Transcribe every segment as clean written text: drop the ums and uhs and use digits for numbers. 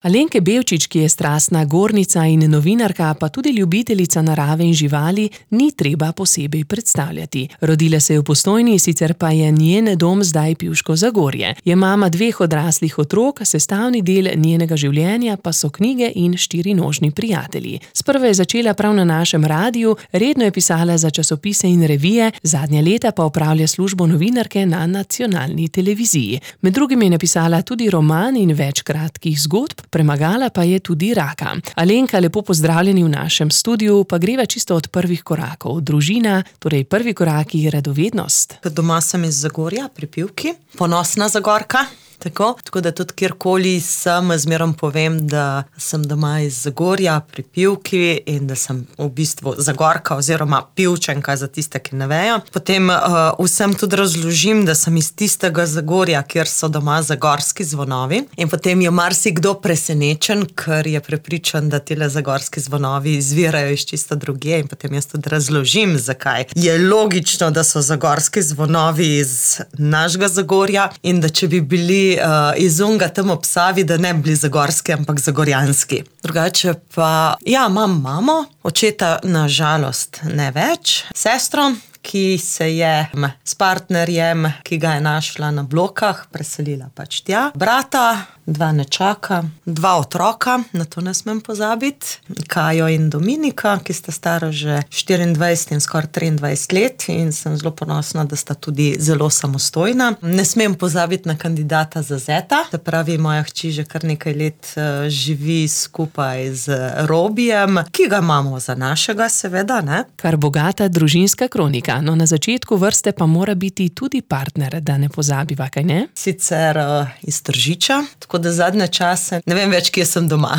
Alenke Bevčič, ki je strastna gornica in novinarka, pa tudi ljubiteljica narave in živali, ni treba posebej predstavljati. Rodila se je v Postojni, sicer pa je njen dom zdaj Pivško Zagorje. Je mama 2 odraslih otrok, sestavni del njenega življenja pa so knjige in 4-nožni prijatelji. Sprva je začela prav na našem radiju, redno je pisala za časopise in revije, zadnja leta pa opravlja službo novinarke na nacionalni televiziji. Med drugim je napisala tudi roman in več kratkih zgodb, premagala pa je tudi raka. Alenka, lepo pozdravljeni v našem studiu, pa greva čisto od prvih korakov. Družina, torej prvi koraki, radovednost. Doma sem iz Zagorja pri Pivki, ponosna Zagorka. Tako da tudi kjerkoli sem, zmerom povem, da sem doma iz Zagorja pri Pivki in da sem v bistvu Zagorka oziroma Pivčenka za tiste, ki ne vejo. Potem vsem tudi razložim, da sem iz tistega Zagorja, kjer so doma zagorski zvonovi, in potem je marsikdo presenečen, ker je prepričan, da tile zagorski zvonovi izvirajo iz čisto drugje, in potem jaz tudi razložim, zakaj je logično, da so zagorski zvonovi iz našega Zagorja in da če bi bili iz unga tam ob Savi, da ne bi bili zagorski, ampak zagorjanski. Drugače pa, imam mamo, očeta na žalost ne več, sestro, ki se je s partnerjem, ki ga je našla na Blokah, preselila pač tja. Brata, 2 nečaka, 2 otroka, na to ne smem pozabiti, Kajo in Dominika, ki sta stara že 24 in skoraj 23 let in sem zelo ponosna, da sta tudi zelo samostojna. Ne smem pozabiti na kandidata za zeta, se pravi, moja hči že kar nekaj let živi skupaj z Robijem, ki ga imamo za našega, seveda, ne. Kar bogata družinska kronika. No, na začetku vrste pa mora biti tudi partner, da ne pozabiva, kaj ne? Sicer iz Tržiča, tako da zadnje čase ne vem več, kje sem doma.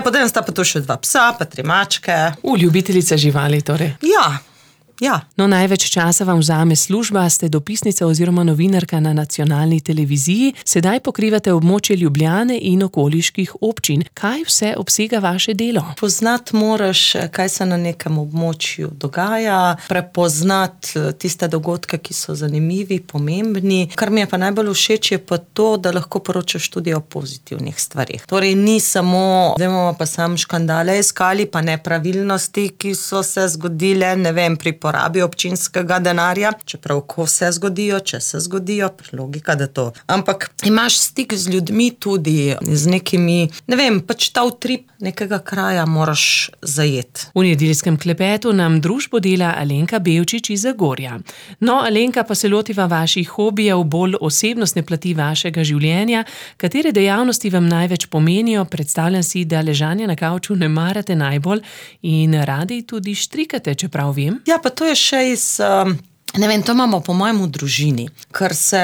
Potem sta pa tu še 2 psa, pa 3 mačke. Ljubiteljica živali torej. Ja. No, največ časa vam vzame služba, ste dopisnica oziroma novinarka na nacionalni televiziji, sedaj pokrivate območje Ljubljane in okoliških občin. Kaj vse obsega vaše delo? Poznati moraš, kaj se na nekem območju dogaja, prepoznati tiste dogodke, ki so zanimivi, pomembni. Kar mi je pa najbolj všeč, je pa to, da lahko poročaš tudi o pozitivnih stvarih. Torej ni samo, vemo pa sam škandale iskali, pa nepravilnosti, ki so se zgodile, ne vem, pri porabi občinskega denarja, čeprav ko se zgodijo, če se zgodijo, logika, da to. Ampak imaš stik z ljudmi tudi, z nekimi, ne vem, pač ta utrip nekega kraja moraš zajeti. V nedeljskem klepetu nam družbo dela Alenka Bevčič iz Zagorja. No, Alenka, pa se lotiva vaših hobijev, bolj osebnostne plati vašega življenja. Katere dejavnosti vam največ pomenijo? Predstavljam si, da ležanje na kavču ne marate najbolj in radi tudi štrikate, čeprav vem. Ja, pa to je še iz, ne vem, to imamo po mojem v družini, ker se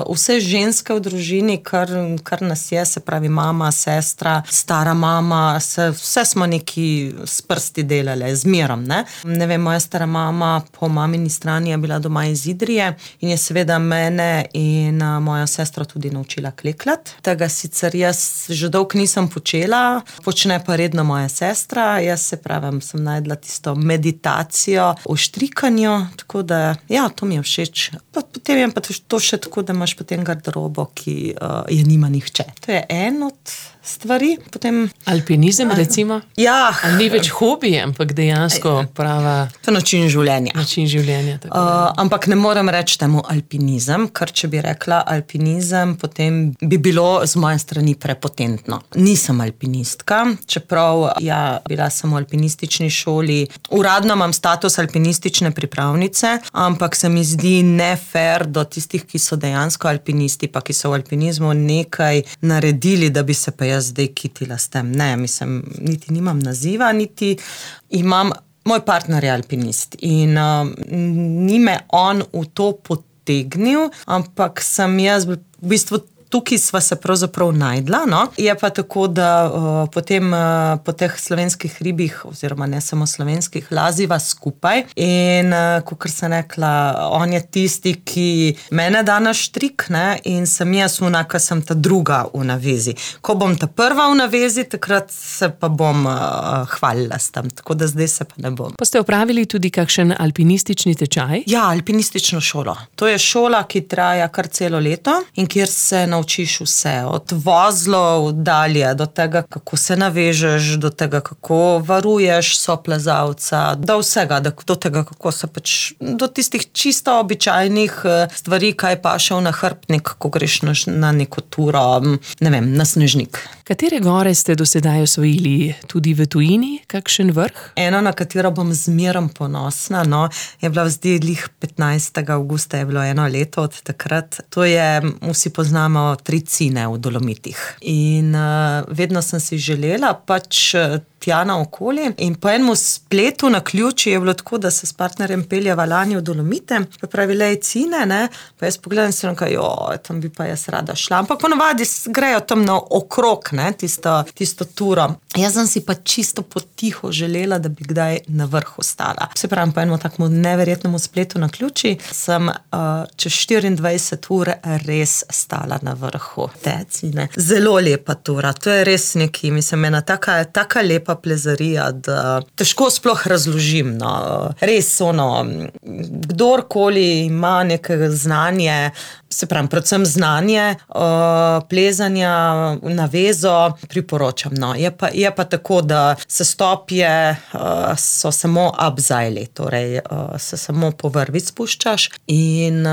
vse ženske v družini, kar nas je, se pravi mama, sestra, stara mama, vse smo neki s prsti delale, zmerom, ne. Ne vem, moja stara mama po mamini strani je bila doma iz Idrije in je seveda mene in moja sestra tudi naučila klekljati. Tega sicer jaz že dolgo nisem počela, počne pa redno moja sestra, jaz se pravim, sem najdla tisto meditacijo v štrikanju, tako da to mi je všeč. Potem je pa to še tako, da imaš potem garderobo, ki je nima nihče. To je en od stvari. Potem alpinizem, recimo? Ja. Ali ni več hobi, ampak dejansko prava... To je način življenja. Tako. Ampak ne moram reči temu alpinizem, ker če bi rekla alpinizem, potem bi bilo z moje strani prepotentno. Nisem alpinistka, čeprav bila sem v alpinistični šoli. Uradno imam status alpinistične pripravnice, ampak se mi zdi nefair do tistih, ki so dejansko alpinisti, pa ki so v alpinizmu nekaj naredili, da bi se pa jaz zdaj kitila s tem. Ne, mislim, niti nimam naziva, niti imam, moj partner je alpinist in ni me on v to potegnil, ampak sem jaz v bistvu tukaj sva se pravzaprav najdla, no. Je pa tako, da potem po teh slovenskih hribih, oziroma ne samo slovenskih, laziva skupaj in, kakor sem rekla, on je tisti, ki mene da na štrik, ne, in sem jaz ki sem ta druga v navezi. Ko bom ta prva v navezi, takrat se pa bom hvalila s tem, tako da zdaj se pa ne bom. Pa ste opravili tudi kakšen alpinistični tečaj? Ja, alpinistično šolo. To je šola, ki traja kar celo leto in kjer se naučiš vse, od vozlov dalje, do tega, kako se navežeš, do tega, kako varuješ soplezalca, do vsega, do tega, kako se pač, do tistih čisto običajnih stvari, kaj paše v nahrbtnik, ko greš na neko turo, ne vem, na snežnik. Katere gore ste do sedaj osvojili? Tudi v tujini? Kakšen vrh? Eno, na katero bom zmerom ponosna, je bila zdaj 15. avgusta, je bilo 1 leto od takrat. To je, vsi poznamo Tricine v Dolomitih. In vedno sem si želela pač tja naokoli in po enem spletu na ključi je bilo tako, da se s partnerjem peljeva lani v Dolomite, pa pravi, Cine, ne, pa jaz pogledam se tam bi pa jaz rada šla, ampak ponovadi grejo tam na okrog, ne, tisto turo. Jaz sem si pa čisto potiho želela, da bi kdaj na vrhu stala. Se pravim, po enem takmu neverjetnemu spletu na ključi sem čez 24 ur res stala na vrhu te Cine. Zelo lepa tura, to je res neki, mislim, ena taka lepa plezarija, da težko sploh razložim. Res kdorkoli ima nekaj znanje, se pravim, predvsem znanje plezanja na vezo, priporočam. Je pa tako, da sestopje so samo upzajli, torej se samo po vrvi spuščaš in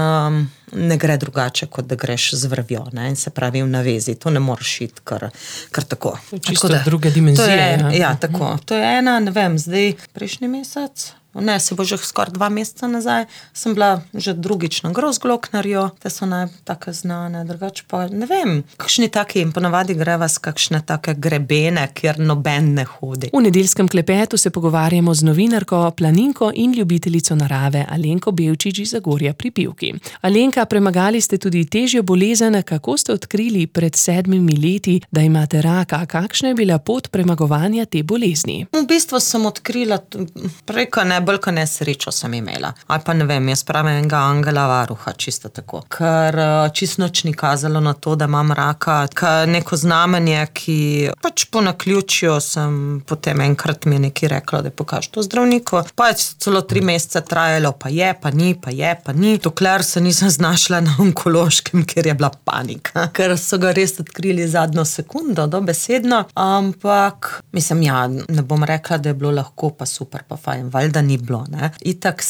ne gre drugače, kot da greš z vrvjo, ne? In se pravi v navezi. To ne moreš iti kar tako. Čisto druge dimenzije. Ja, tako. To je ena, ne vem, zdaj prejšnji mesec, ne, se bo že skoraj 2 meseca nazaj, sem bila že drugič na Grossglocknerju, te so take znane, drugače pa ne vem, kakšni taki in ponavadi greva s kakšne take grebene, kjer noben ne hodi. V nedeljskem klepetu se pogovarjamo z novinarko, planinko in ljubiteljico narave Alenko Bevčič iz Zagorja pri Pivki. Alenka, premagali ste tudi težjo bolezen, kako ste odkrili pred 7 leti, da imate raka, kakšna je bila pot premagovanja te bolezni? V bistvu sem odkrila preko bolj kot nesrečo sem imela. Ali pa ne vem, jaz pravim enega angela varuha, čisto tako. Ker čisto nič ni kazalo na to, da imam raka. Neko znamenje, ki pač po naključju sem potem enkrat mi je nekaj rekla, da pokaž to zdravniku. Pa je celo 3 mesece trajalo, pa je, pa ni. Dokler se nisem znašla na onkološkem, kjer je bila panika. Ker so ga res odkrili zadnjo sekundo, dobesedno. Ampak, mislim, ne bom rekla, da je bilo lahko, pa super, pa fajn, valjda ni bilo, ne. Itak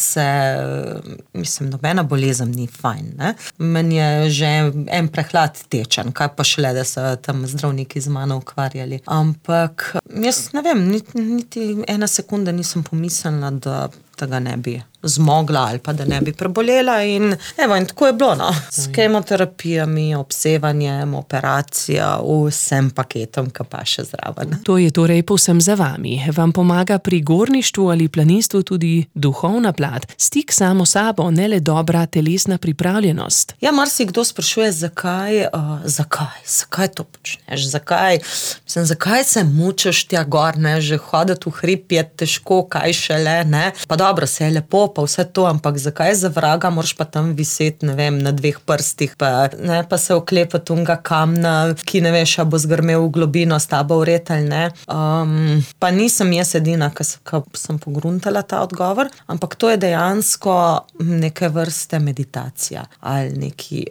mislim, nobena bolezen ni fajn, ne. Meni je že en prehlad tečen, kaj pa šele, da so tam zdravniki z mano ukvarjali. Ampak, jaz ne vem, niti 1 sekunda nisem pomislila, da tega ne bi zmogla ali pa da ne bi prebolela in tako je bilo, S kemoterapijami, obsevanjem, operacija, vsem paketom, ki pa še zraven. To je torej povsem za vami. Vam pomaga pri gorništvu ali planinstvu tudi duhovna plat, stik samo sabo, ne le dobra telesna pripravljenost. Ja, marsikdo sprašuje, zakaj to počneš, zakaj se mučiš tja gor, ne, že hoditi v hrib je težko, kaj šele, ne, pa dobro, se je lepo, pa vse to, ampak zakaj za vraga moraš pa tam viseti, ne vem, na 2 prstih, pa se oklepati unga kamna, ki ne veš, a bo zgrmel v globino s tabo vred ali ne. Pa nisem jaz edina, ki sem pogruntala ta odgovor, ampak to je dejansko neke vrste meditacija ali neki...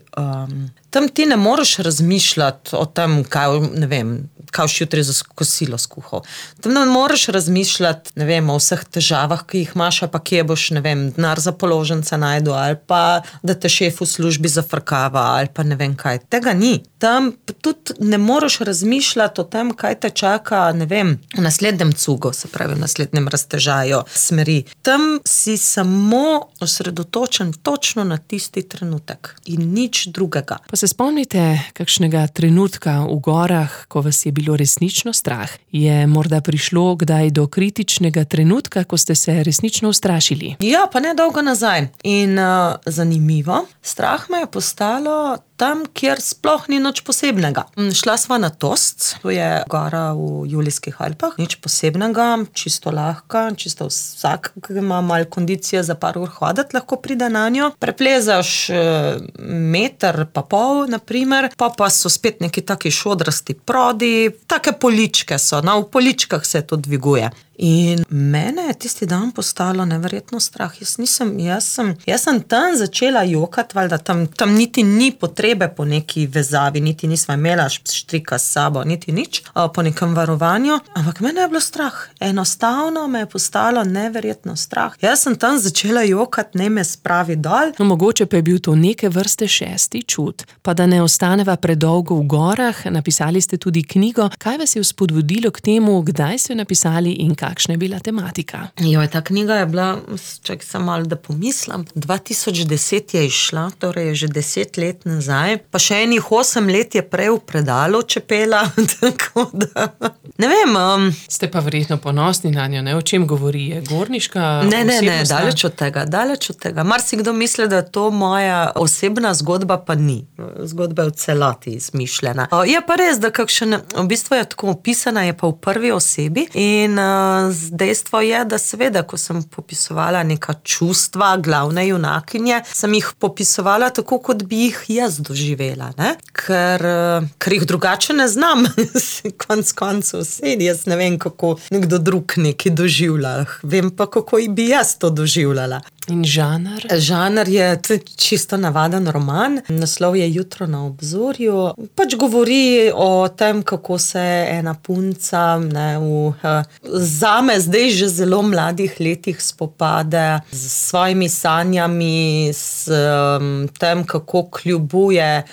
Tam ti ne moreš razmišljati o tem, kaj, ne vem, kaj jutri za kosilo skuhal. Tam ne moreš razmišljati, ne vem, o vseh težavah, ki jih imaš, pa kje boš, ne vem, denar za položnice najdu, ali pa da te šef v službi zafrkava, ali pa ne vem kaj. Tega ni. Tam tudi ne moreš razmišljati o tem, kaj te čaka, ne vem, v naslednjem cugu, se pravi v naslednjem raztežaju smeri. Tam si samo osredotočen točno na tisti trenutek in nič drugega. Pa se spomnite kakšnega trenutka v gorah, ko vas je bilo resnično strah? Je morda prišlo kdaj do kritičnega trenutka, ko ste se resnično ustrašili? Ja, pa ne dolgo nazaj. In zanimivo, strah me je postalo tam, kjer sploh ni nič posebnega. Šla sva na Tost, to je gora v Julijskih Alpah, nič posebnega, čisto lahka, čisto vsak, ki ima malo kondicije za par ur hoditi, lahko pride na njo. Preplezaš 1,5 metra, naprimer, pa so spet neki taki šodrasti prodi, take poličke so, v poličkah se to dviguje. In mene je tisti dan postalo neverjetno strah. Jaz sem tam začela jokati, valjda tam niti ni potrebe po neki vezavi, niti nisva imela štrika s sabo, niti nič, po nekem varovanju, ampak mene je bilo strah. Enostavno me je postalo neverjetno strah. Jaz sem tam začela jokati, ne me spravi dol. No, mogoče pa je bil to neke vrste šesti čut. Pa da ne ostaneva predolgo v gorah, napisali ste tudi knjigo. Kaj vas je vzpodbudilo k temu, kdaj ste jo napisali in kakšna je bila tematika? Ta knjiga je bila, čakaj sem malo, da pomislim, 2010 je izšla, torej je že 10 let nazaj, pa še enih 8 let je prej v predalu čepela, tako da, ne vem. Ste pa verjetno ponosni na njo, ne? O čem govori? Je gorniška Ne, osebnost? daleč od tega. Marsikdo misli, da je to moja osebna zgodba, pa ni. Zgodba je v celoti izmišljena. Je pa res, da v bistvu je tako opisana, je pa v prvi osebi in dejstvo je, da seveda, ko sem popisovala neka čustva glavne junakinje, sem jih popisovala tako, kot bi jih jaz doživela, ne? Ker jih drugače ne znam. Konec koncev jaz ne vem, kako nekdo drug nekaj doživlja. Vem pa, kako bi jaz to doživljala. In žanr? Žanr je čisto navaden roman. Naslov je Jutro na obzorju. Pač govori o tem, kako se ena punca zame zdaj že zelo mladih letih spopade s svojimi sanjami, s tem, kako kljubuje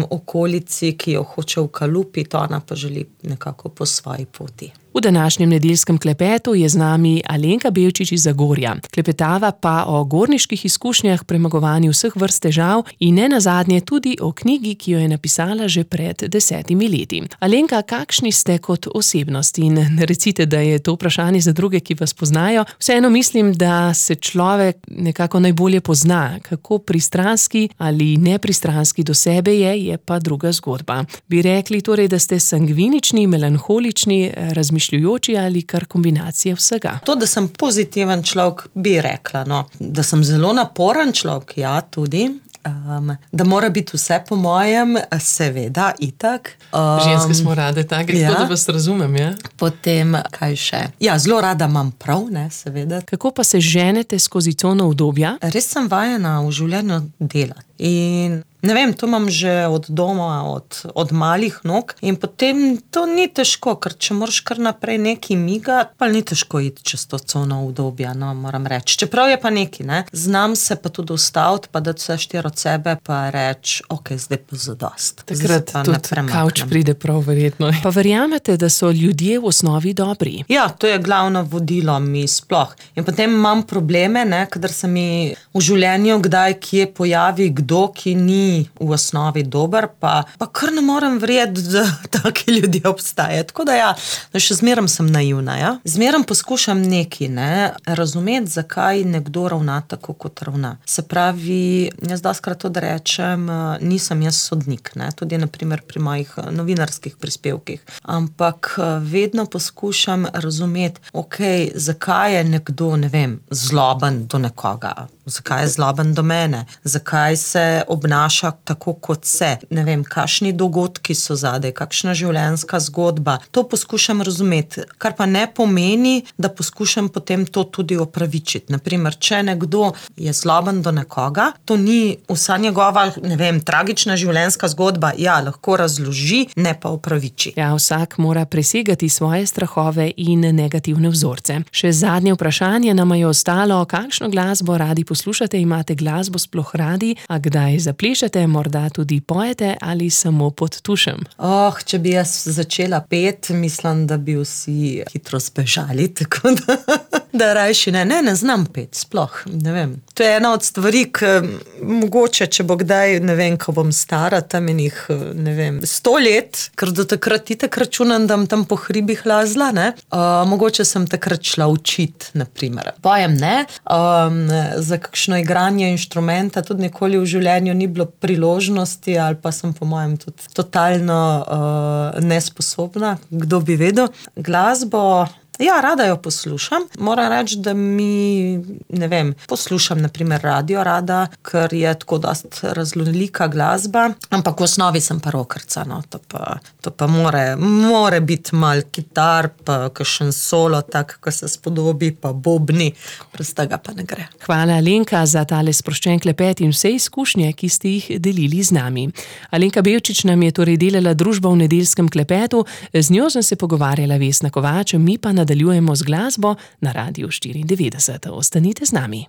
okolici, ki jo hoče ukalupiti, ona pa želi nekako po svoji poti. V današnjem nedeljskem klepetu je z nami Alenka Belčič iz Zagorja. Klepetava pa o gorniških izkušnjah, premagovanju vseh vrst težav in nenazadnje tudi o knjigi, ki jo je napisala že pred 10 leti. Alenka, kakšni ste kot osebnost? In ne recite, da je to vprašanje za druge, ki vas poznajo. Vseeno mislim, da se človek nekako najbolje pozna. Kako pristranski ali nepristranski do sebe je pa druga zgodba. Bi rekli torej, da ste sangvinični, melanholični, razmišljujoči ali kar kombinacija vsega? To, da sem pozitiven človek, bi rekla, no. Da sem zelo naporen človek, ja, tudi. Da mora biti vse po mojem, seveda, itak. Ženske smo rade take, tako da vas razumem, ja? Potem, kaj še? Ja, zelo rada imam prav, ne, seveda. Kako pa se ženete skozi cono obdobja? Res sem vajena v življenju delati. In ne vem, to imam že od doma, od malih nog in potem to ni težko, ker če moraš kar naprej nekaj migati, pa ni težko iti čez to cono obdobja, no, moram reči. Čeprav je pa nekaj, ne, znam se pa tudi ustaviti, pa dati vse štiri od sebe, pa reči, ok, zdaj pa zadost. Takrat tudi kavč pride prav verjetno. Pa verjamete, da so ljudje v osnovi dobri? Ja, to je glavno vodilo mi sploh. In potem imam probleme, ne, kadar se mi v življenju kdaj kje pojavi kdo, ki ni v osnovi dober, pa kar ne morem verjeti, da taki ljudje obstajajo. Tako da ja, še zmeraj sem naivna, ja. Zmeraj poskušam nekaj, ne, razumeti, zakaj nekdo ravna tako, kot ravna. Se pravi, jaz dostikrat to, da rečem, nisem jaz sodnik, ne, tudi na primer pri mojih novinarskih prispevkih, ampak vedno poskušam razumeti, ok, zakaj je nekdo, ne vem, zloben do nekoga, zakaj je zloben do mene, zakaj se obnaša tako, kot se, ne vem, kakšni dogodki so zadaj, kakšna življenjska zgodba. To poskušam razumeti, kar pa ne pomeni, da poskušam potem to tudi opravičiti. Naprimer, če nekdo je zloben do nekoga, to ni vsa njegova, ne vem, tragična življenjska zgodba, ja, lahko razloži, ne pa opraviči. Ja, vsak mora presegati svoje strahove in negativne vzorce. Še zadnje vprašanje nam je ostalo, kakšno glasbo radi poslušate, imate glasbo sploh radi, a kdaj zaplešete, morda tudi pojete ali samo pod tušem? Če bi jaz začela peti, mislim, da bi vsi hitro zbežali, tako da rajši ne znam peti, sploh, ne vem. To je ena od stvari, ki mogoče, če bo kdaj, ne vem, ko bom stara, tam enih, ne vem, 100 let, ker do takrat itak računam, da tam po hribih lazla, ne, mogoče sem takrat šla učiti, naprimer. Pojem ne, za kakšno igranje inštrumenta tudi nikoli v življenju ni bilo priložnosti, ali pa sem po mojem tudi totalno nesposobna, kdo bi vedel. Glasbo Ja, rada jo poslušam. Moram reči, da mi, ne vem, poslušam naprimer radio rada, ker je tako dost raznolika glasba, ampak v osnovi sem pa rockerca, no. To pa more biti malo kitar, pa kakšen solo, tak, ko se spodobi, pa bobni, brez tega pa ne gre. Hvala, Alenka, za tale sproščen klepet in vse izkušnje, ki ste jih delili z nami. Alenka Bevčič nam je torej delala družbo v nedeljskem klepetu, z njo sem se pogovarjala Vesna Kovač, mi pa nadaljujemo z glasbo na Radiu 94. Ostanite z nami.